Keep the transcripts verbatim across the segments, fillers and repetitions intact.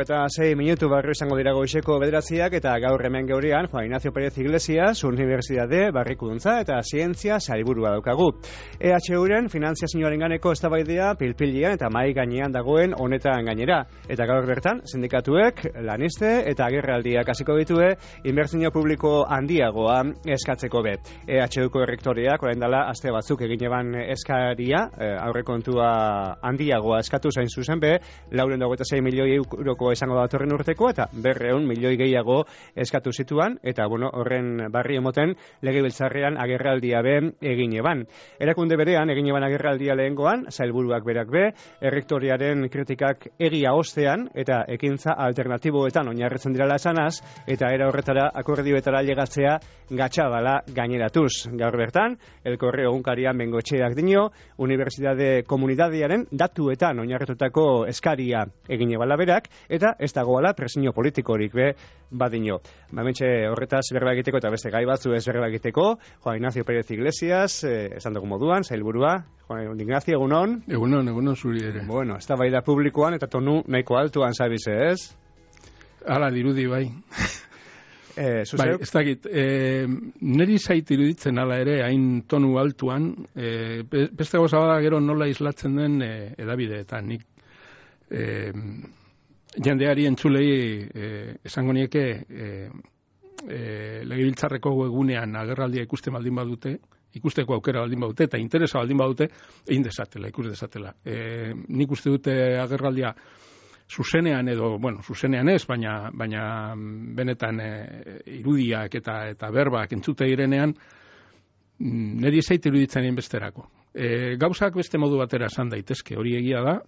Berrogeta sei minutu barrio izango dira goizeko bederatziak eta gaur hemen geurean Juan Ignacio Pérez Iglesias, Unibertsitate Barrikuntza eta Zientzia sailburua daukagu. E H Uren finanziazioaren ganeko eztabaidea pilpilian eta mai gainean dagoen honetan gainera. Eta gaur bertan, sindikatuek, laniste eta agerraldiak hasiko ditue inbertsio publiko handiagoa eskatzeko be. E H Uko errektoreak orain dela aste batzuk egin eban eskaria, aurrekontua handiagoa eskatu zain zuzen be, laurehun eta hogeita sei milioi euroko esango datorren urteko eta berrehun milioi gehiago eskatu zituan eta bueno, horren barri emoten legebiltzarrean agerraldia be egin eban. Erakunde berean egin eban agerraldia lehengoan, sailburuak berak be, errektoriaren kritikak egia ostean eta ekintza alternatiboetan oinarritzen dirala esanaz eta era horretara akordioetara llegatzea gatxabala gaineratuz. Gaur bertan, El Correo egunkarian Bengoetxeak dio, Unibertsitate Komunitatearen datuetan oinarritutako eskaria egin ebala berak, eta ez dagoala presio politikorik be badino. Bamentxe horretaz berba egiteko eta beste gai batzu ez berba egiteko, Juan Ignacio Pérez Iglesias, eh, esan dugu moduan, sailburua, Juan Ignacio, egunon? Egunon, egunon zuri ere. Bueno, ez da bai da publikoan eta tonu nahiko altuan zabize, ez? Hala dirudi bai. Eh, bai, ez dakit, eh, niri zait iruditzen ala ere, hain tonu altuan, eh, beste goza bada gero nola islatzen den eh, edabideetan, nik eh, jendeari entzulei eh, esango nieke eh, eh, legebiltzarreko egunean agerraldia ikusten baldin badute, ikusteko aukera baldin badute, eta interesa baldin badute, egin desatela, ikus desatela. Eh, nik uste dute agerraldia zuzenean edo, bueno, zuzenean ez, baina, baina benetan e, irudiak eta eta berbak entzute direnean, niri zait iruditzen besterako. E, gauzak beste modu batera esan daitezke, hori egia da,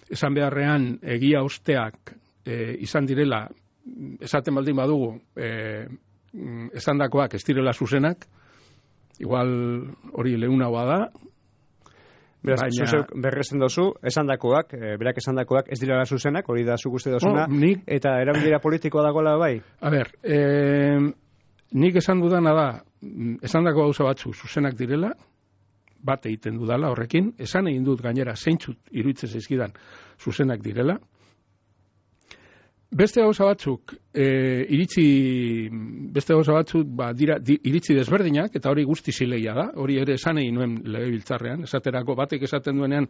esan beharrean egia osteak e, izan direla, esaten baldin badugu, e, esandakoak ez direla zuzenak, igual hori leunagoa da, beraz, baina berrezen dozu, esandakoak, e, berak esandakoak ez direla zuzenak, hori da zuk uste dozuna, oh, nik, eta erabilera politikoa dagoela bai? A ber, e, nik esan dudana da, esandako gauza batzu zuzenak direla, bat egiten dudala horrekin, esan egin dut gainera zeintzut iruditzen zaizkidan zuzenak direla. Beste gauza batzuk, e, iritzi, beste gauza batzuk, ba, dira, di, iritzi desberdinak, eta hori guzti zilegia da, hori ere esan egin nuen legebiltzarrean, esaterako batek esaten duenean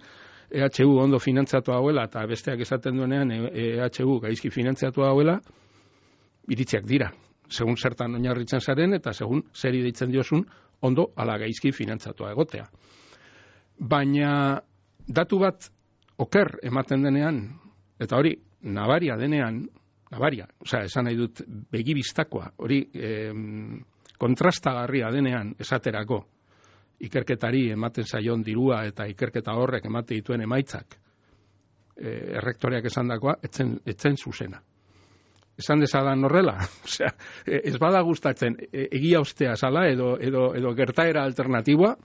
E H U ondo finantzatu hauela, eta besteak esaten duenean E H U gaizki finantzatu hauela, iritziak dira, segun zertan oinarritzen zaren, eta segun zer deitzen diozun, ondo ala gaizki finantzatua egotea. Baina datu bat oker ematen denean, eta hori, nabaria denean, nabaria, osea, esan nahi dut begibistakoa, hori eh, kontrastagarria denean esaterako, ikerketari ematen zaion dirua eta ikerketa horrek emate dituen emaitzak, eh, errektoreak esandakoa, etzen, etzen zuzena. Esan dezadan horrela, osea, ez bada gustatzen egia ostea zala edo, edo, edo gertaera alternatiboa,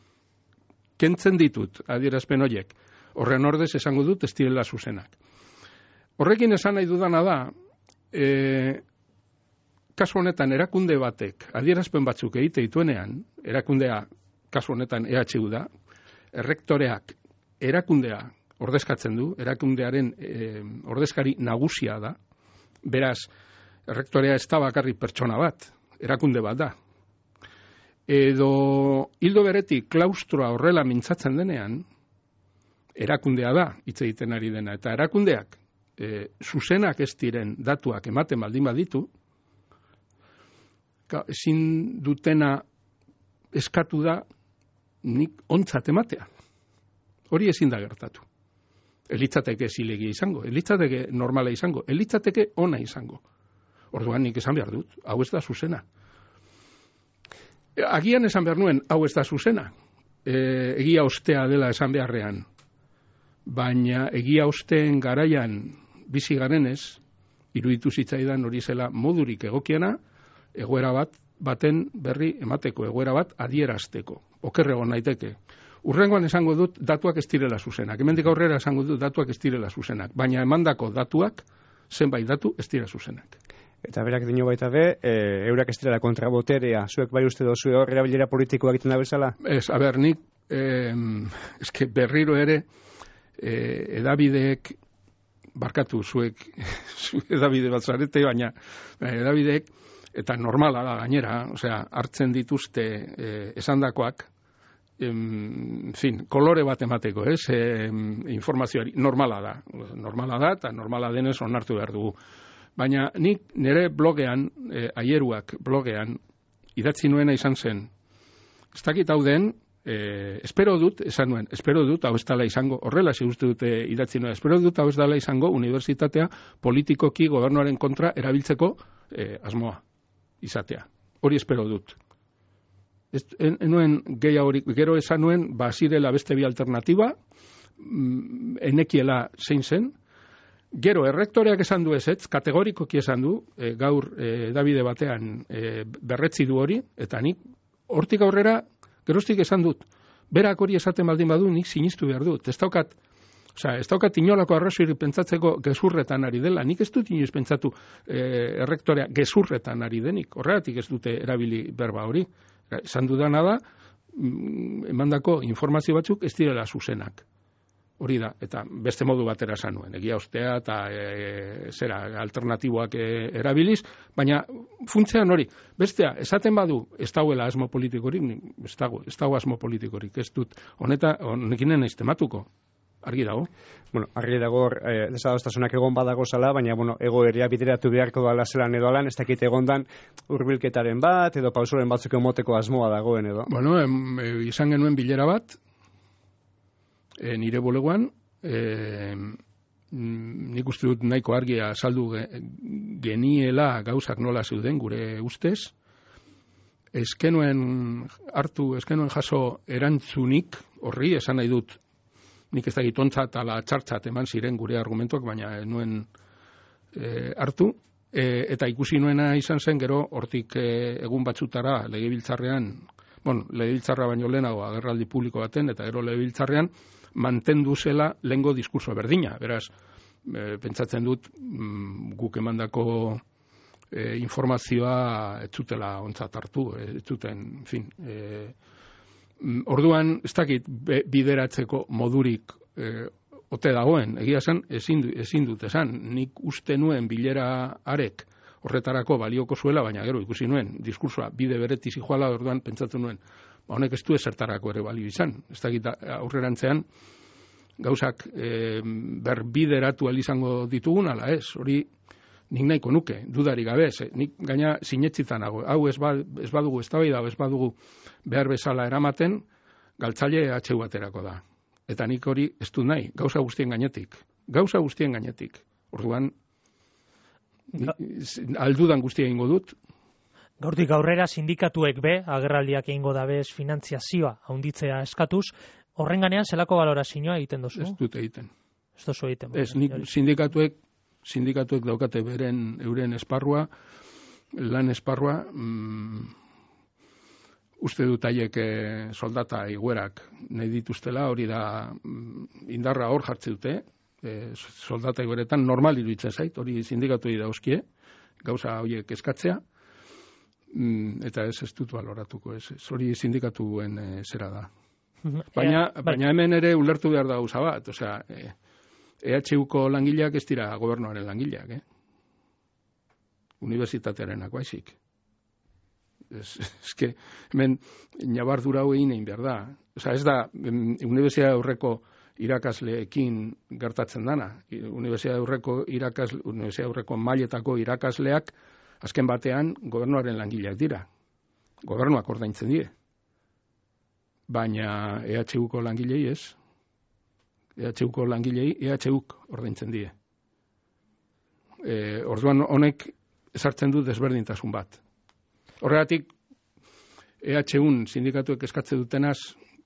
kentzen ditut adierazpen horiek. Horren ordez esango dut ez direla zuzenak. Horrekin esan nahi dudana da, e, kasu honetan erakunde batek adierazpen batzuk egite dituenean, erakundea kasu honetan E H U da, errektoreak erakundea ordezkatzen du, erakundearen e, ordezkari nagusia da, beraz, errektorea ez da bakarrik pertsona bat, erakunde bat da. Edo hildo beretik klaustroa horrela mintzatzen denean, erakundea da, hitz egiten ari dena, eta erakundeak E, zuzenak ez diren datuak ematen baldin baditu, ezin dutena eskatu da nik ontzat ematea. Hori ezin da gertatu. Elitzateke zilegia izango, elitzateke normala izango, elitzateke ona izango. Orduan nik esan behar dut, hau ez da zuzena. Agian esan behar nuen, hau ez da zuzena. E, egia ostea dela esan beharrean. Baina egia osteen garaian bizi garenez, iruditu zitzaidan hori zela modurik egokiena, egoera bat, baten berri emateko, egoera bat adierazteko. Okerrego naiteke. Urrengoan esango dut datuak ez direla zuzenak. Hemendik aurrera esango dut datuak ez direla zuzenak. Baina emandako datuak, zenbait datu ez dira zuzenak. Eta berak dino baita be, e, eurak ez direla kontraboterea, zuek bai uste dozu hor erabilera politikoa egiten da bezala? Ez, aber, nik, eh, eske berriro ere, eh, edabideek barkatu zuek, zuek edabide bat zarete, baina edabideek, eta normala da gainera, osea, hartzen dituzte eh, esandakoak, en fin, kolore bat emateko, ez? E, informazioari normala da. Normala da eta normala denez onartu behar dugu. Baina nik nire blogean, e, aieruak blogean, idatzi nuena izan zen. Ez dakit hau den, e, espero dut, esan nuen, espero dut, hau ez dala izango, horrela ze uste dute idatzi nuen, espero dut, hau ez dala izango, unibertsitatea politikoki gobernuaren kontra erabiltzeko e, asmoa izatea. Hori espero dut. Ez, en, enuen gehiagorik, gero esan nuen, ba, zirela beste bi alternatiba, mm, enekiela zein zen, gero errektoreak esan du ezetz, kategorikoki esan du, e, gaur e, Davide batean e, berretzi du hori, eta nik hortik aurrera, geroztik esan dut, berak hori esaten baldin badu, nik sinistu behar dut, ez daukat, osea, ez daukat inolako arrazoirik pentsatzeko gezurretan ari dela, nik ez dut inoiz pentsatu e, errektorea gezurretan ari denik, horregatik ez dute erabili berba hori. Esan dudana da, emandako informazio batzuk ez direla zuzenak. Hori da, eta beste modu batera esan nuen, egia ostea eta e, zera alternatiboak e, erabiliz, baina funtzean hori, bestea, esaten badu ez dauela asmo politikorik, ez dago, ez dago asmo politikorik, ez dut, honeta, honekinen ez tematuko. Argi dago. Bueno, argi dago eh, desadostasunak egon badago zala, baina bueno, egoeria bideratu beharko dala zelan edo alan, ez dakit egondan hurbilketaren bat, edo pausoren batzuk emoteko asmoa dagoen edo. Bueno, em, e, izan genuen bilera bat, e, nire bulegoan, e, nik uste dut nahiko argia saldu geniela gauzak nola zeuden gure ustez, eskenuen hartu, eskenuen jaso erantzunik, horri esan nahi dut, nik ez dakit ontzat ala txartzat eman ziren gure argumentuak, baina nuen e, hartu, e, eta ikusi nuena izan zen gero hortik e, egun batzutara legebiltzarrean, bueno, legebiltzarra baino lehenago agerraldi publiko baten, eta gero legebiltzarrean mantendu zela lehengo diskurso berdina. Beraz, e, pentsatzen dut mm, guk emandako e, informazioa ez zutela ontzat hartu, ez zuten, en fin, e, orduan, ez dakit bideratzeko modurik e, ote dagoen, egia esan, ezin, ezin dut esan, nik uste nuen bilera arek horretarako balioko zuela, baina gero ikusi nuen, diskursoa bide beretiz joala, orduan pentsatu nuen, ba, honek ez du ezertarako ere balio izan, ez dakit aurrerantzean, gauzak e, berbideratu izango ditugun, ala ez, hori nik nahiko nuke, dudari gabe, ez, nik gaina sinetzitan nago, hau ez, ba, ez badugu eztabaida, ez badugu behar bezala eramaten, galtzaile H U baterako da. Eta nik hori ez du nahi, gauza guztien gainetik. Gauza guztien gainetik. Orduan, aldudan guztia egingo dut. Gaurtik aurrera sindikatuek be, agerraldiak egingo dabez finantziazioa haunditzea eskatuz, horren ganean zelako balorazioa egiten dozu? Ez dut egiten. Ez dozu egiten. Ez, nik sindikatuek, sindikatuek daukate beren euren esparrua, lan esparrua, mm, uste dut haiek eh, soldata iguerak nahi dituztela, hori da mm, indarra hor jartze dute, eh, soldata igueretan normal iruditzen zait, hori sindikatu dauzkie, gauza horiek eskatzea, mm, eta ez ez dut baloratuko, ez, ez hori sindikatuen eh, zera da. Baina, baina hemen ere ulertu behar da gauza bat, osea, eh, E H Uko langileak ez dira gobernuaren langileak, eh? Unibertsitatearenak baizik. Ez, ez que, hemen, nabardura hau egin egin behar da. Osa, ez da, unibertsitate aurreko irakasleekin gertatzen dana. Unibertsitate aurreko irakasle, unibertsitate aurreko mailetako irakasleak, azken batean, gobernuaren langileak dira. Gobernuak ordaintzen die. Baina E H Uko langilei ez. E H Uko langilei E H Uk ordaintzen die. E, orduan honek ezartzen du desberdintasun bat. Horregatik, E H Un sindikatuek eskatze dutenaz,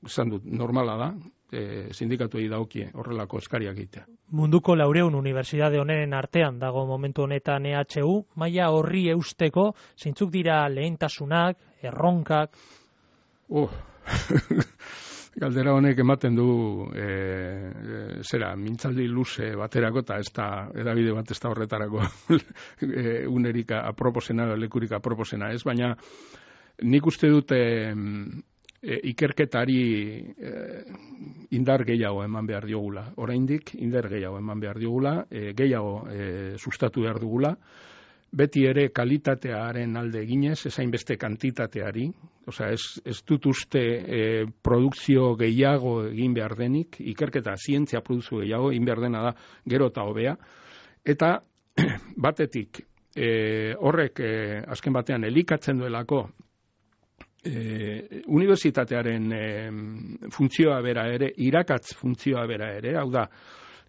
esan dut, normala da, e, sindikatuei daokie horrelako eskariak egitea. Munduko laureun unibertsitate honen artean dago momentu honetan E H U, maila horri eusteko, zeintzuk dira lehentasunak, erronkak? Oh, galdera honek ematen du e, e, zera, mintzaldi luze baterako, eta ez da, edabide bat ez da horretarako e, unerika aproposena, lekurika aproposena ez, baina nik uste dute e, ikerketari e, indar gehiago eman behar diogula. Oraindik indar gehiago eman behar diogula, e, gehiago e, sustatu behar dugula, beti ere kalitatearen alde eginez, ezain beste kantitateari, osea, ez, ez dut uste e, produkzio gehiago egin behar denik, ikerketa zientzia produkzio gehiago egin behar dena da gero eta hobea, eta batetik e, horrek e, azken batean elikatzen duelako e, unibertsitatearen e, funtzioa bera ere, irakatz funtzioa bera ere, hau da,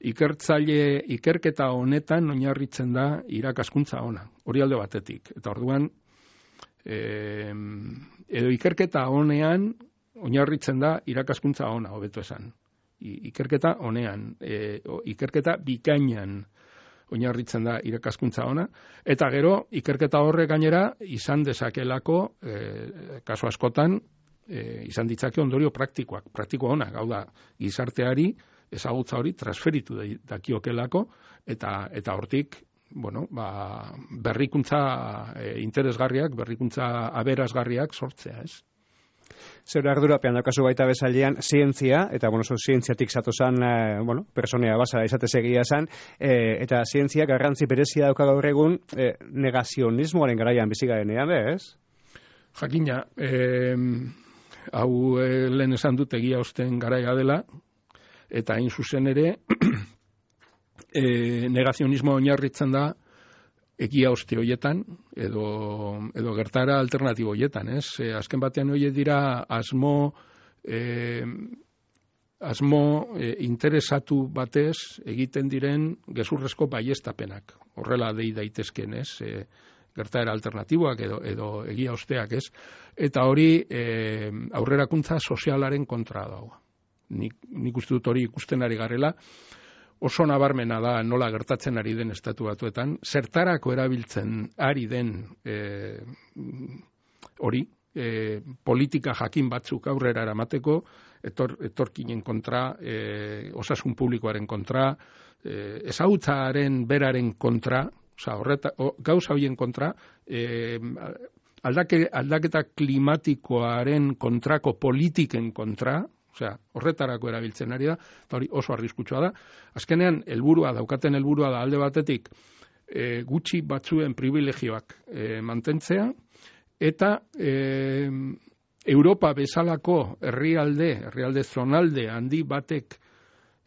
ikertzaile ikerketa honetan oinarritzen da irakaskuntza ona, hori alde batetik. Eta orduan, e, edo ikerketa honean oinarritzen da irakaskuntza ona, hobeto esan. I, ikerketa honean, e, o, ikerketa bikainan oinarritzen da irakaskuntza ona, eta gero ikerketa horrek gainera izan dezakelako, e, kasu askotan, e, izan ditzake ondorio praktikoak, praktiko onak, hau da, gizarteari, ezagutza hori transferitu dakiokelako, eta eta hortik, bueno, ba, berrikuntza e, interesgarriak, berrikuntza aberasgarriak sortzea, ez? Zer ardurapean daukazu baita bezalian zientzia, eta bueno, so, zientziatik zatozan, eh, bueno, personea basa izatez egia esan, eh, eta zientzia garrantzi berezia dauka gaur egun eh, negazionismoaren garaian bizi garenean, ez? Jakina, eh, hau eh, lehen esan dut egia osten garaia dela, eta hain zuzen ere, e, negazionismo oinarritzen da egia oste hoietan, edo, edo gertara alternatibo hoietan, ez? E, azken batean hoiet dira asmo, e, asmo e, interesatu batez egiten diren gezurrezko baiestapenak. Horrela dei daitezken, ez? E, gertaera alternatiboak edo, edo egia osteak, ez? Eta hori e, aurrerakuntza sozialaren kontra dago. Nik, nik uste dut hori ikusten ari garela, oso nabarmena da nola gertatzen ari den estatu batuetan, zertarako erabiltzen ari den e, hori, e, politika jakin batzuk aurrera eramateko, etor, etorkinen kontra, e, osasun publikoaren kontra, e, ezagutzaren beraren kontra, oza, horreta, o, gauza horien kontra, e, aldake, aldaketa klimatikoaren kontrako politiken kontra, osea, horretarako erabiltzen ari da, eta hori oso arriskutsua da. Azkenean, helburua daukaten helburua da alde batetik e, gutxi batzuen privilegioak e, mantentzea, eta e, Europa bezalako herrialde, herrialde zonalde handi batek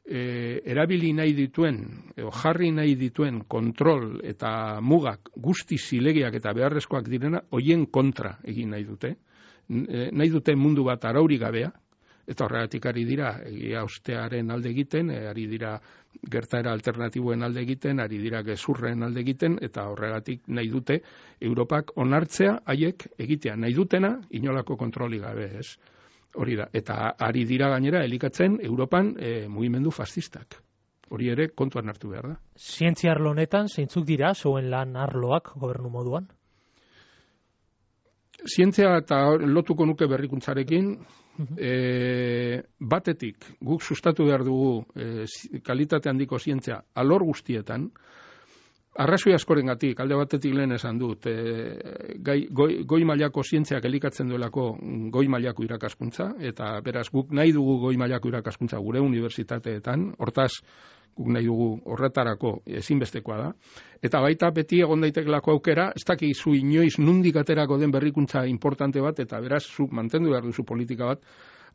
e, erabili nahi dituen, edo jarri nahi dituen kontrol eta mugak guzti zilegiak eta beharrezkoak direna, hoien kontra egin nahi dute. E, nahi dute mundu bat arauri gabea, eta horregatik ari dira egia ostearen alde egiten, ari dira gertaera alternatiboen alde egiten, ari dira gezurren alde egiten, eta horregatik nahi dute Europak onartzea haiek egitea nahi dutena inolako kontroli gabe, ez? Hori da, eta ari dira gainera elikatzen Europan e, mugimendu fascistak. Hori ere kontuan hartu behar da. Zientzia arlo honetan zeintzuk dira zuen lan arloak gobernu moduan? Zientzia eta lotuko nuke berrikuntzarekin, e, batetik guk sustatu behar dugu e, kalitate handiko zientzia alor guztietan, arrazoi askorengatik, alde batetik lehen esan dut, e, gai, goi, goi mailako zientziak elikatzen duelako goi mailako irakaskuntza, eta beraz guk nahi dugu goi mailako irakaskuntza gure unibertsitateetan, hortaz guk nahi dugu horretarako ezinbestekoa da, eta baita beti egon daitekelako aukera, ez dakizu inoiz nundik aterako den berrikuntza importante bat, eta beraz zuk mantendu behar duzu politika bat,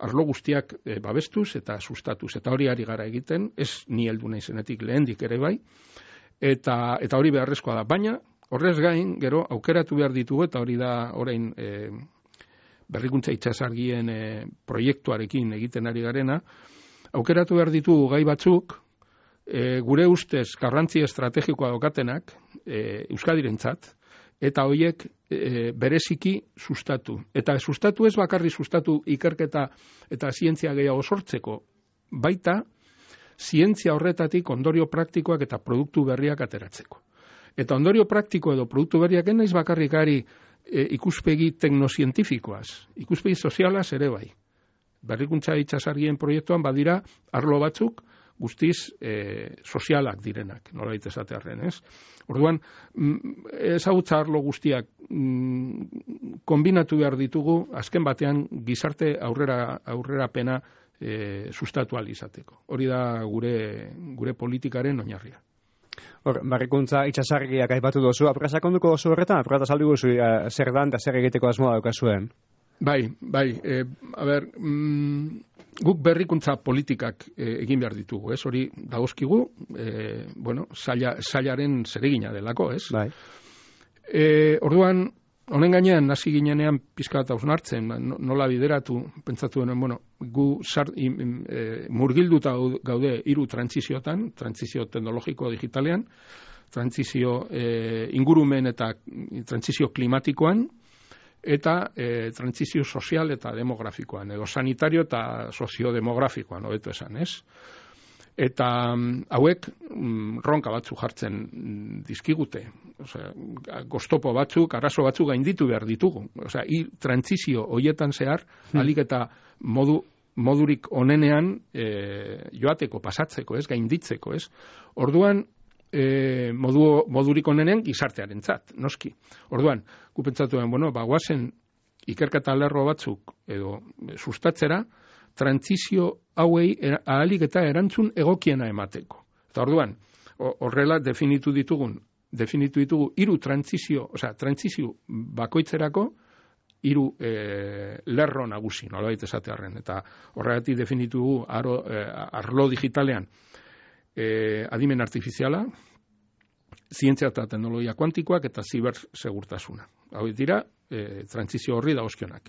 arlo guztiak e, babestuz eta sustatuz, eta hori ari gara egiten, ez ni heldu naizenetik lehendik ere bai, eta, eta hori beharrezkoa da, baina horrez gain, gero aukeratu behar ditugu, eta hori da orain e, berrikuntza itsasargien e, proiektuarekin egiten ari garena, aukeratu behar ditugu gai batzuk, E, gure ustez garrantzi estrategikoa daukatenak e, Euskadirentzat, eta horiek e, bereziki sustatu. Eta sustatu ez bakarri sustatu ikerketa eta zientzia gehiago sortzeko, baita zientzia horretatik ondorio praktikoak eta produktu berriak ateratzeko. Eta ondorio praktiko edo produktu berriak enaiz bakarrikari e, ikuspegi teknozientifikoaz, ikuspegi sozialaz ere bai. Berrikuntza itsasargien proiektuan badira arlo batzuk, guztiz e, sozialak direnak, nolabait esatearren, ez? Orduan, ezagutza arlo guztiak mm, kombinatu behar ditugu, azken batean gizarte aurrera aurrerapena e, sustatu ahal izateko. Hori da gure, gure politikaren oinarria. Hor, barrikuntza itxasargiak aipatu dozu, aprasakonduko oso horretan, apurata saldu guzu, uh, zer dan eta zer egiteko asmoa daukazuen? Bai, bai, e, a ber, mm, guk berrikuntza politikak e, egin behar ditugu, ez? Hori dagozkigu, e, bueno, saila, sailaren zeregina delako, ez? Bai. E, orduan, honen gainean, hasi ginenean pizka bat hausnartzen, nola bideratu, pentsatu denen, bueno, gu sar, im, im, e, murgilduta gaude hiru trantziziotan, trantzizio teknologiko digitalean, trantzizio e, ingurumen eta trantzizio klimatikoan, eta e, trantzizio sozial eta demografikoan, edo sanitario eta soziodemografikoan, hobeto esan, ez? Eta um, hauek um, ronka batzuk jartzen dizkigute. Osea, goztopo batzuk, arazo batzuk gainditu behar ditugu. Osea, i trantzizio hoietan zehar, hmm. alik eta modu, modurik onenean e, joateko, pasatzeko, ez, gainditzeko, ez. Orduan, e, modu, modurik onenean gizartearentzat, noski. Orduan, gu pentsatuen, bueno, bagoazen ikerketa lerro batzuk edo sustatzera, trantzizio hauei ahalik eta erantzun egokiena emateko. Eta orduan, horrela definitu ditugun, definitu ditugu hiru trantzizio, osea, trantzizio bakoitzerako hiru e, lerro nagusi, nolabait esatearren. Eta horregatik definitu aro, e, arlo digitalean e, adimen artifiziala, zientzia eta teknologia kuantikoak eta zibersegurtasuna. Hau dira, e, trantzizio horri dagozkionak.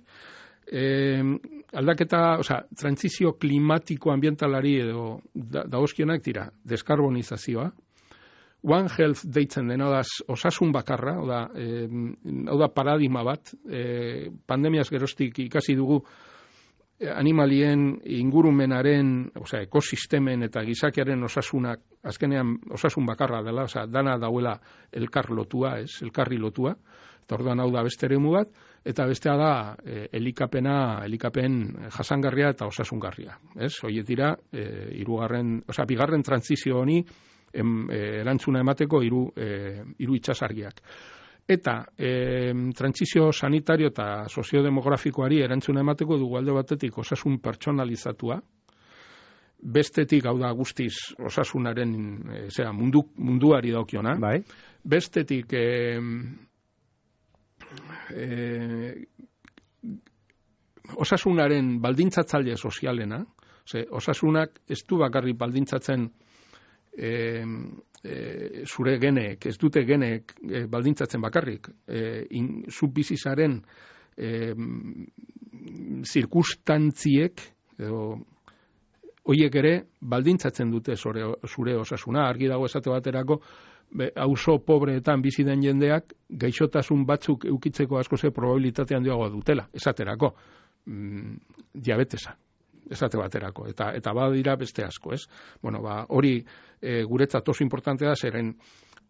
Eh, aldaketa, osea, trantzizio klimatiko ambientalari edo dagozkionak dira, deskarbonizazioa, One Health deitzen dena da osasun bakarra, hau da, eh, hau da paradigma bat, eh, pandemiaz geroztik ikasi dugu eh, animalien ingurumenaren, osea, ekosistemen eta gizakiaren osasunak, azkenean osasun bakarra dela, osea, dana dauela elkar lotua, ez, elkarri lotua, eta orduan hau da beste eremu bat, eta bestea da e, elikapena, elikapen jasangarria eta osasungarria. Ez? Hoiek dira, e, irugarren, osea, bigarren trantzizio honi em, e, erantzuna emateko hiru e, hiru itsasargiak. Eta e, trantzizio sanitario eta soziodemografikoari erantzuna emateko dugu alde batetik osasun pertsonalizatua, bestetik hau da guztiz osasunaren, e, zera, mundu, munduari daukiona, bai. Bestetik e, E, osasunaren baldintzatzaile sozialena, ze, osasunak ez du bakarrik baldintzatzen e, e, zure geneek, ez dute geneek e, baldintzatzen bakarrik, e, in, zubizizaren e, zirkustantziek, edo hoiek ere baldintzatzen dute zure, zure osasuna, argi dago esate baterako, auzo pobreetan bizi den jendeak gaixotasun batzuk eukitzeko asko ze probabilitate handiagoa dutela, esaterako mm, diabetesa, esate baterako, eta eta badira beste asko, ez? Bueno, ba, hori e, guretzat oso importantea da, zeren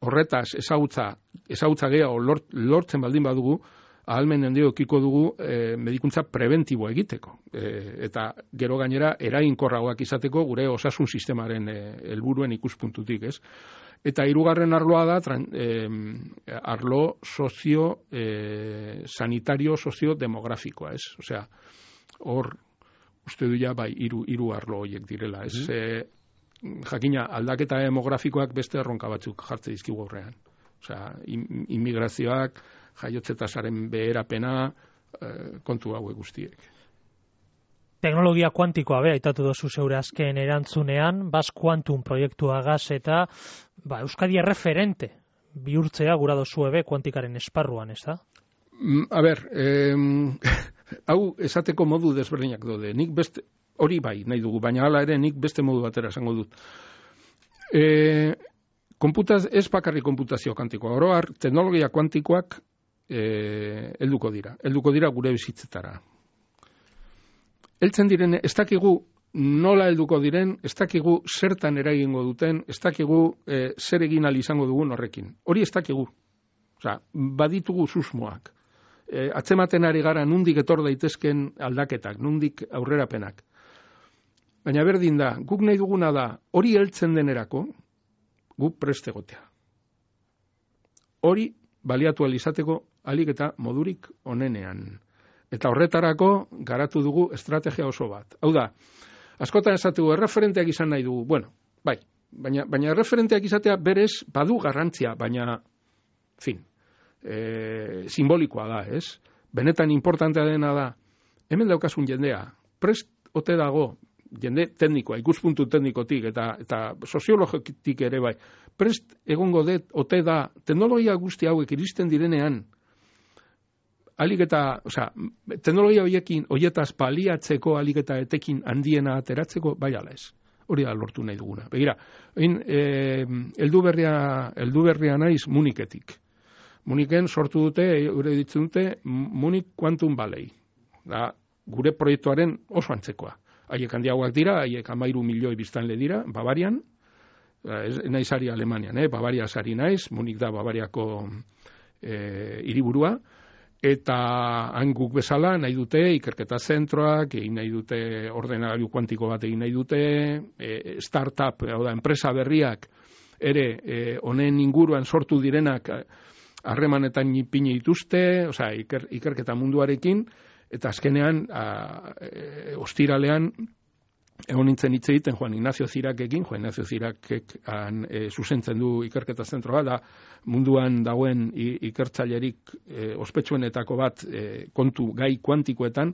horretaz ezagutza, ezagutza gehiago lort, lortzen baldin badugu, ahalmen handio ekiko dugu e, medikuntza preventiboa egiteko. E, eta gero gainera eraginkorragoak izateko gure osasun sistemaren helburuen e, ikuspuntutik, ez? Eta hirugarren arloa da tran, eh, arlo sozio eh, sanitario sozio demografikoa, ez? Osea, hor uste du ja bai hiru hiru arlo horiek direla, ez? Mm. E, jakina aldaketa demografikoak beste erronka batzuk jartze dizkigu aurrean. Osea, immigrazioak, jaiotze tasaren beherapena, eh, kontu hauek guztiek. Teknologia kuantikoa be aitatu dozu zeure azken erantzunean, Bas Quantum proiektua gaz eta ba, Euskadi erreferente bihurtzea gura dozu ebe kuantikaren esparruan, ez da? A ber, eh, hau esateko modu desberdinak daude. Nik beste, hori bai nahi dugu, baina hala ere nik beste modu batera esango dut. Eh, konputaz, ez bakarrik konputazio kuantikoa, oro har, teknologia kuantikoak eh, helduko dira, helduko dira gure bizitzetara. Heltzen diren, ez dakigu nola helduko diren, ez dakigu zertan eragingo duten, ez dakigu e, zer egin ahal izango dugun horrekin. Hori ez dakigu. Osea, baditugu susmoak. E, atzematen ari gara nundik etor daitezken aldaketak, nundik aurrerapenak. Baina berdin da, guk nahi duguna da, hori heltzen denerako, guk prest egotea. Hori baliatu ahal izateko ahalik eta modurik onenean. Eta horretarako garatu dugu estrategia oso bat. Hau da, Askotan esatu erreferenteak izan nahi dugu, bueno, bai, baina, baina erreferenteak izatea berez badu garrantzia, baina, fin, e, simbolikoa da, ez? Benetan importantea dena da, hemen daukasun jendea, prest ote dago, jende teknikoa, ikuspuntu teknikotik eta eta soziologikotik ere bai, prest egongo det ote da teknologia guzti hauek iristen direnean alik eta, osea, teknologia hoiekin hoietaz paliatzeko alik eta etekin handiena ateratzeko bai ala ez. Hori da lortu nahi duguna. Begira, egin eh heldu berria heldu berria naiz Muniketik. Muniken sortu dute, gure ditzen dute Munich Quantum Valley. Da gure proiektuaren oso antzekoa. Haiek handiagoak dira, haiek hamairu milioi biztanle dira, Bavarian, ez naiz ari Alemanian, eh? Bavaria sari naiz, Munich da Bavariako eh, hiriburua, eta han guk bezala nahi dute ikerketa zentroak, egin nahi dute ordenagailu kuantiko bat egin nahi dute, eh, startup, hau da, enpresa berriak ere honen eh, inguruan sortu direnak harremanetan ipini dituzte, osea, iker, ikerketa munduarekin, eta azkenean, a, e, ostiralean, egon nintzen hitz egiten Juan Ignacio Zirakekin, Juan Ignacio Zirakek han, e, zuzentzen du ikerketa zentroa, da munduan dagoen ikertzailerik e, ospetsuenetako bat e, kontu gai kuantikoetan,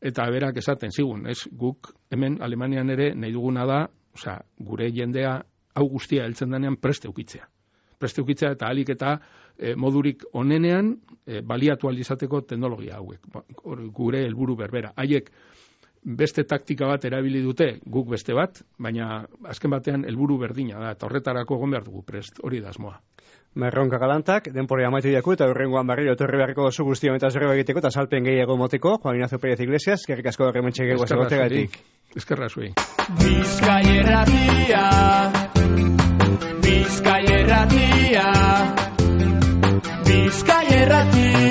eta berak esaten zigun, ez guk hemen Alemanian ere nahi duguna da, osea, gure jendea hau guztia heltzen denean preste ukitzea. Preste ukitzea eta alik eta e, modurik onenean e, baliatu alizateko teknologia hauek. Gure helburu berbera. Haiek beste taktika bat erabili dute, guk beste bat, baina azken batean helburu berdina da, eta horretarako egon behar dugu prest, hori da asmoa. Merronka galantak, denpore amaitu diaku, eta horrengoan barriro etorri beharriko zu guztion eta zerreba egiteko, eta salpen gehiago moteko, Juan Ignacio Pérez Iglesias, eskerrik asko horrementxe gehiago zagotegatik. Eskerra zuei. Bizkaierratia, Bizkaierratia, Bizkaierratia.